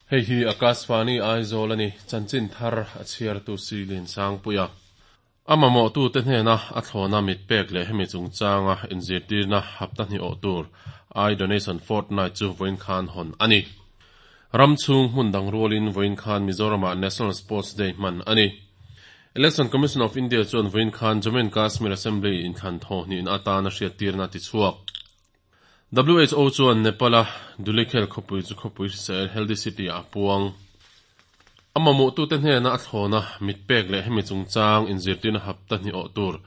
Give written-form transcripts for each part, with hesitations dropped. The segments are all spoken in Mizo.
Hei hi Akashvani Aizawl a ni, chanchin thar a chhiartu Silin Sangpuia. A mamawhtute hnena a thlawna mit pek leh hemi chungchanga inzirtirna hapta hnih awh tur Eye Donation Fortnight chu vawiin khan hawn a ni. Ram chhung hmun dang rualin vawiin khan Mizoramah National Sports Day hman a ni. Election Commission of India chuan vawiin khan Jammu and Kashmir Assembly inthlan thaw hnihna atana hriattirna a tichhuak. WHO chuan Nepal-a Dhulikhel khawpui chu khawpui hrisel, healthy city, ah a puang. A mamawhtute hnena a thlawna mit pek leh hemi chungchang inzirtirna hapta hnih awh tur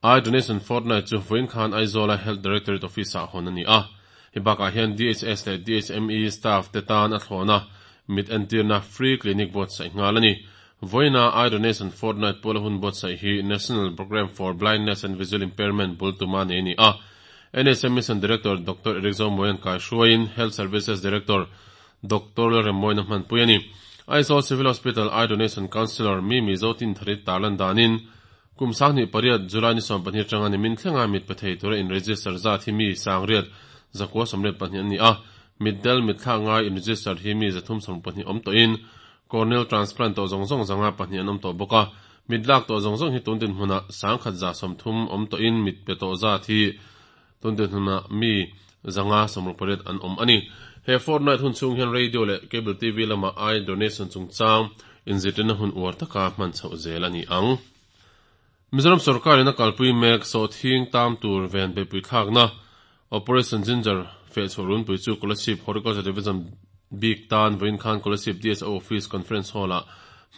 Eye Donation Fortnight chu vawiin khan Aizawla Health Directorate Office-ah hawn a ni a. Hei bakah hian DHS leh DHME staff te tan a thlawna mit entirna Free Clinic buatsaih nghal a ni. Vawiina Eye Donation Fortnight pawla hun buatsaih hi National Programme for Blindness and Visual Impairment bul tuma nei a ni a. NHM Mission Director Doctor Eric Zomuaia'n kaihruaiin Health Services Director Doctor Lalremmawiin a hmanpui a ni. Aizawl Civil Hospital Eye Donation Counsellor Mimi Zotinthari tarlan danin kum 28 July ni 12 atanga nimin thlenga mit pe thei tura in-register zat hi mi 9,982 an ni a, mitdel mitthlak ngai in-register hi mi 372 awm tawhin corneal transplant tawh zawng zawng 502 an awm tawh bawk a. Mit lak tawh zawng zawng hi tun dinhmunah 1,130 awm tawhin mit pe tawh zat hi tun dinhmunah mi 568 an awm a ni. He fortnight hun chhung hian radio leh cable TV lamah eye donation chungchang inzirtirna hun uar taka hman chhoh zel a ni ang. Mizoram sorkarin a kalpui mek sawhthing tam tur ven beihpui thlakna Operation Ginger fehchhuah runpui chu Kolasib Horticulture Division bik tan vawiin khan Kolasib DSO Office Conference Hall-ah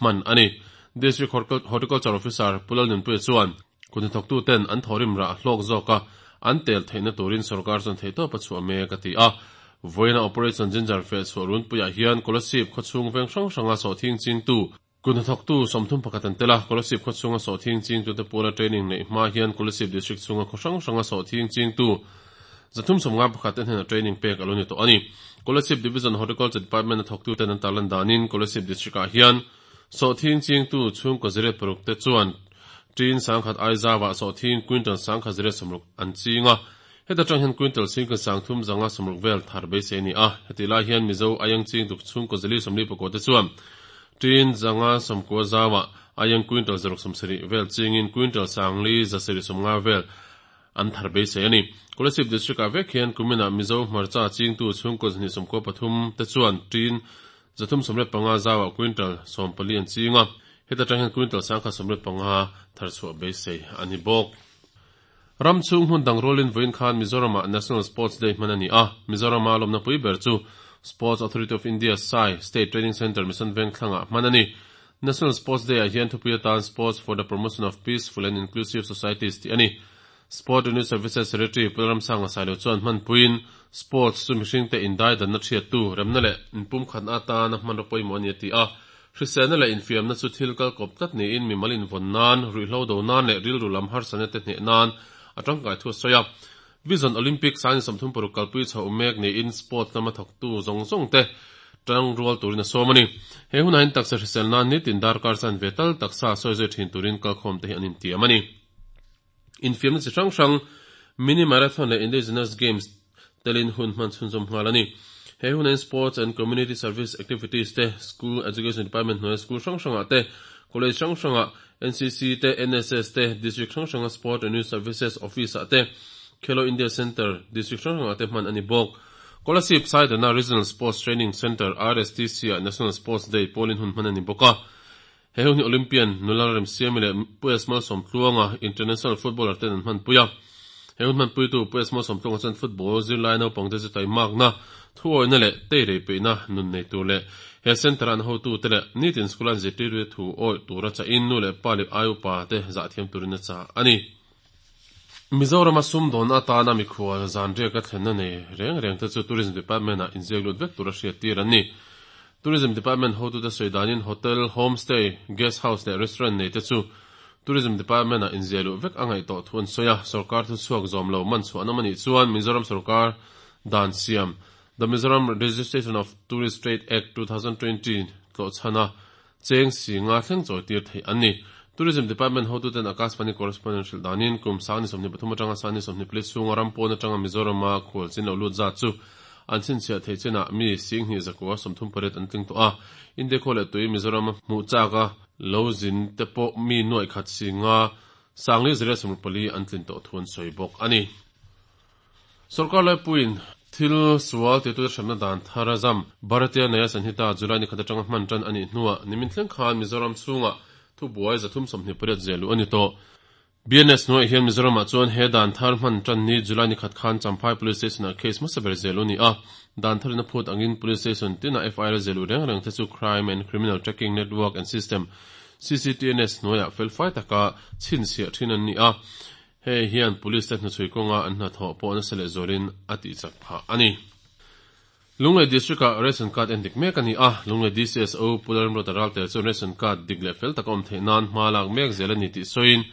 hman a ni. District Horticulture Officer Pu Lalnunpuia chuan kut hnathawktuten an thawhrim rah hlawk zawka an tel theihna turin sorkar chuan theihtawp a chhuah mek a ti a. Vawiina Operation Ginger fehchhuah runpuiah hian Kolasib khawchhung veng hrang hranga sawhthing chingtu Kut hnathawktu 31 an tel a, Kolasib khaw chhunga sawhthing chingtute pawla training neih hma hian Kolasib District chhunga khaw hrang hranga sawhthing chingtu 351 te hnenah training pek a lo ni tawh a ni. Kolasib Division Horticulture Department a thawktuten an tarlan danin Kolasib District ah hian sawhthing chingtu chhungkaw 06 te chuan tin 10,000 Aizawah sawhthing quintal 1,160 an ching a, heta tang hian quintal 3,360 vel thar beisei a ni a. Hetih lai hian Mizo aieng chingtu chhungkaw 449 te chuan Tin 590 zauah aieng quintal 670 vel chingin quintal 4,750 vel an thar beisei a ni. Kolasib District-ah vek hian kuminah Mizo hmarcha chingtu chhungkaw 293 te chuan tin 335 zauah quintal 14 an ching a, heta tang hian quintal 1,175 thar chhuah beisei a ni bawk. Ram chhung hmun dang rualin vawiin khan Mizoramah National Sports Day hman a ni a, Mizorama lawmna pui ber chu Sports Authority of India, SAI, State Training Centre Mission Vengthlangah hman a ni. National Sports Day-ah hian thupui atan Sports for the Promotion of Peaceful and Inclusive Societies tih a ni. Sport and Youth Services Secretary Pu Lalramsanga Sailo chuan hmanpuiin Sports chu mihringte indaidanna thiattu, remna leh inpumkhatna atana hmanraw pawimawh a ni a ti a. Hriselna leh infiamna chu thil kal kawp tlat niin mimal invawn nan, ruihhlo do nan leh rilru lam harsatna te hneh nan a tangkai thu a sawi a. Vision Olympics 2036 kalpui chhoh mek niin sports lama thawktu zawng zawng te tang rual turin a sawm a ni. He hunah hian taksa hrisel nan nitin darkar chanve tal taksa sawi zui thin turin kalkhawm te hi an intiam a ni. Infiamna chi hrang hrang Mini Marathon leh Indigenous Games telin hun hman chhunzawm nghal a ni. He hunain Sports and Community Service Activities te, School Education Department hnuaia school hrang hrangah te, College hrang hrangah NCC te, NSS te, District hrang hranga Sport and Youth Services Office-ah te, Khelo India Centre District hrang hrangah te hman a ni bawk. Kolasib Saidana Regional Sports Training Centre, RSTC, ah National Sports Day pawlin hun hman a ni bawk a. He hun hi Olympian nula Remsiami leh Pu S Malsawmtluanga, international footballer ten an hmanpui a. He hun hmanpuitu Pu S Malsawmtluanga chuan football zirlai naupangte chu taimakna, thuawihna leh teirei peihna nun nei tur leh he centre-a an hotute leh nitin school-a an zirtirtute thu awih tura chahin nu leh pa leh ai upa te zahthiam turin a chah a ni. Mizorama sumdawnna atana mikhual zanriak a thlenna nei reng reng te chu Tourism Department-ah inziak lut vek tura hriattir an ni. Tourism Department hotute sawi danin hotel, homestay, guest house leh restaurant nei te chu Tourism Department-ah inziah luh vek a ngaih tawh thu an sawi a, sorkar thuchhuak zawm lo man chhuah nawm a nih chuan Mizoram sorkar dan siam The Mizoram Registration of Tourist Trade Act, 2020 tlawhchhana Cheng si nga thleng chawi tir theih an ni. Tourism Department hotuten Akashvani correspondent hrilh danin kum 2023 atanga 2024 chhunga ram pawn atanga Mizorama khual chin lo lut zat chu An chhinchhiah theih chinah mi 2138 an tling tawh a. India khua leh tui Mizoram hmuh chaka lo zin te pawh mi nuaih khat singa 5404 an tlin tawh thu an sawi bawk a ni. Sorkar laipuiin thil sual titute hremna dan thar a zam. Bharatiya Nyaya Sanhita July ni khat atanga hman tan a nih hnuah nimin thleng khan Mizoram chhungah thubuai 328 ziah luh a ni tawh. BNS hnuaiah hian Mizoramah chuan he dan thar hman tan ni July ni khat khan Champhai Police Station-ah case hmasa ber ziah luh a ni a. Dan tharin a phut angin Police Station tinah FIR ziah luh reng reng te chu Crime and Criminal Tracking Network and System, CCTNS, hnuaiah felfai taka chhinchhiah thin an ni a. Hei hian Police te hnuchhui kawnga an hnathawh pawh nasa leh zualin a tihchak phah a ni. Lunglei District-ah Ration Card en dik mek a ni a, Lunglei DCSO Pu Lalramruata Ralte chuan Ration Card dik leh fel taka awm theih nan hma lak mek zel a ni tih sawiin,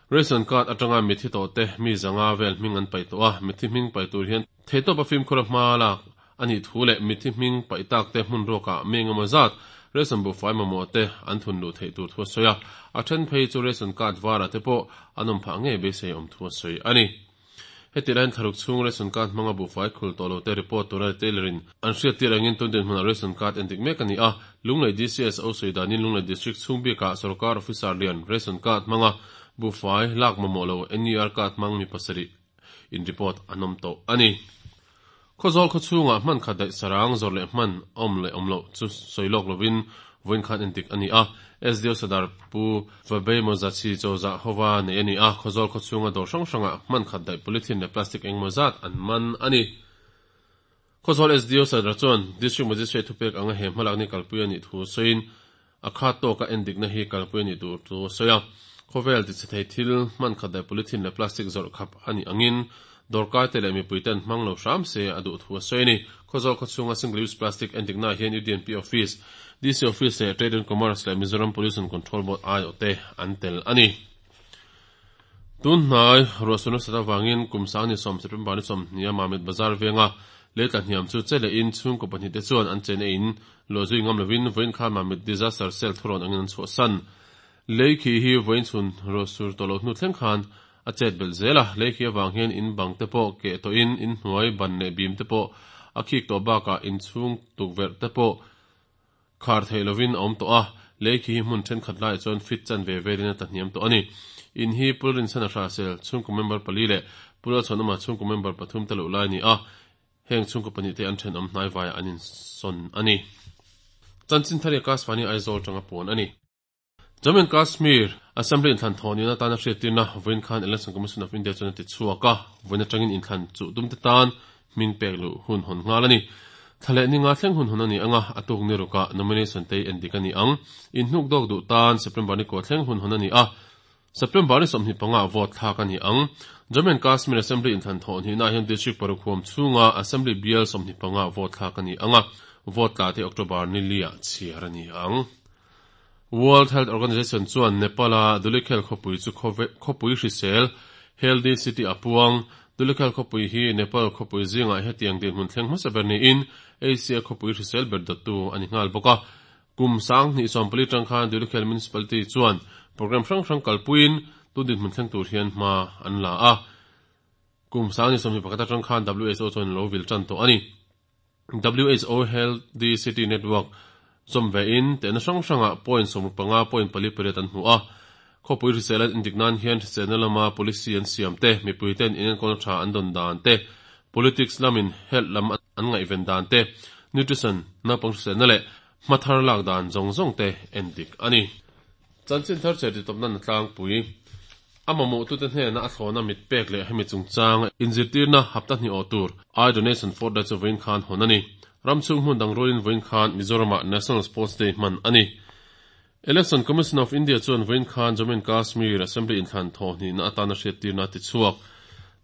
Ration Card atanga mithi tawhte mi zanga vel hming an paih tawh a, mithi hming paih tur hian theihtawpa fimkhur a hma lak a nih thu leh mithi hming paih takte hmun ruakah mi engemaw zat ration buhfai mamawh te an thun luh theih tur thu a sawi a, a then phei chu ration card varah te pawh an awm phah ngei beisei awm thu a sawi a ni. Heti laiin thlaruk chhung ration card hmanga buhfai khul tawh lo te report tura retailer in an hriattir angin tun dinhmunah ration card endik mek a ni a, Lunglei DCSO sawi danin Lunglei District chhung bikah sorkar officer lian ration card hmanga buhfai lak mamawh lo NER card hmang mi pasarih in report an awm tawh a ni. Khawzawl khaw chhungah hman khat daih sarang zawrh leh hman awm leh awm loh chu sawi lawk lovin vawiin khan endik a ni a. SDO Sadar Pu Vabei Mawzachi chawzah hova nei a ni a, Khawzawl khaw chhunga dawr hrang hrangah hman khat daih polythene leh plastic engemaw zat an man a ni. Khawzawl SDO Sadar chuan District Magistrate thupek anga he hmalakni kalpui a nih thu sawiin a khat tawka endikna hi kalpui a nih tur thu a sawi a. Khawvel tichhe thei thil hman khat daih polythene leh plastic zawrh khap a nih angin dawrkaite leh mipuiten hmang lo hram se a duh thu a sawi a ni. Khawzawl khawchhunga single use plastic endikna ah hian UDNP Office, DC Office leh Trade and Commerce leh Mizoram Pollution Control Board aiawhte an tel a ni. Tun hnai ruahsur nasat avangin kum sangni sawm September ni sawmhnih a Mamit Bazar venga lei tla hniam chu che lehin chhungkaw pahnihte chuan an chen eiin luahzui ngam lovin vawiin khan Mamit Disaster Cell thurawn angin an chhuahsan. Lei khi hi vawiin chhun ruahsur tawh loh hnu thleng khan a chet belh zel a, lei khi avang hian in bang te pawh keh tawhin in hnuai ban leh bim te pawh a khik tawh bakah in chhung tukverh te pawh Khar theih lovin a awm tawh a, lei khi hi hmun thenkhat laiah chuan fit chan ve velin a tlahniam tawh a ni. In hi Pul Rinchhan a hrahsel chhungkaw member pali leh Pu Lalchhuanawma chhungkaw member pathum te loh lai a ni a, heng chhungkaw pahnih te an thenawm hnaivaiah an insawn a ni. Chanchin thar hi Akashvani Aizawl tanga puan a ni. Jammu and Kashmir Assembly inthlan thawh nihna atana hriattirna vawiin khan Election Commission of India chuan a ti chhuak a, vawiin atangin inthlan chuh tumte tan hming pek luh hun hawn nghal a ni. Thla leh ninga thleng hun hawn a ni ang a, a tuk ni rukah nomination te endik a ni ang. Inhnuk dawk duh tan September ni kua thleng hun hawn a ni a, September ni 25 ah vote thlak a ni ang. Jammu and Kashmir Assembly inthlan thawh hnihnaah hian district paruk huam chhunga Assembly bial 25 ah vote thlak a ni ang a, vote tla te October ni li-ah chhiar a ni ang. World Health Organization chuan Nepal-a Dhulikhel khawpui chu khawpui hrisel, healthy city, a puang. Dhulikhel khawpui hi Nepal khawpui zingah hetiang dinhmun thleng hmasa ber niin Asia khawpui hrisel ber dawttu a ni nghal bawk a. Kum 2014 tang khan Dhulikhel Municipality chuan programme hrang hrang kalpuiin tun dinhmun thleng tur hian hma an la a. Kum 2021 atang khan WHO chuan a lo vil tan tawh a ni. WHO Healthy City Network zawm vein tehna hrang hrangah point 65 point pali pariat an hmu a. Khawpui hrisel an indik nan hian hriselna lama policy an siam te, mipuiten inenkawlna tha an dawn dan te, politics lamin health lam an ngaihven dan te, nutrition, naupang hriselna leh hmathar lak dan zawng zawng te endik a ni. Chanchin thar che titawpna na tlangpui. A mamawhtute hnena a thlawna mit pek leh hemi chungchanga inzirtirna hapta hnih awh tur Eye Donation Fortnight chu vawiin khan hawn a ni. Ram chhung hmun dang rualin vawiin khan Mizoramah National Sports Day hman a ni. Election Commission of India chuan vawiin khan Jammu and Kashmir Assembly inthlan thawhhnihna atana hriattirna a ti chhuak.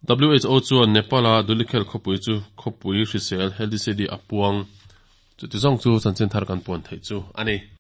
WHO chuan Nepal-a Dhulikhel khawpui chu khawpui hrisel, healthy city, a puang. Chuti zawng chu chanchin thar kan puan theih chu a ni.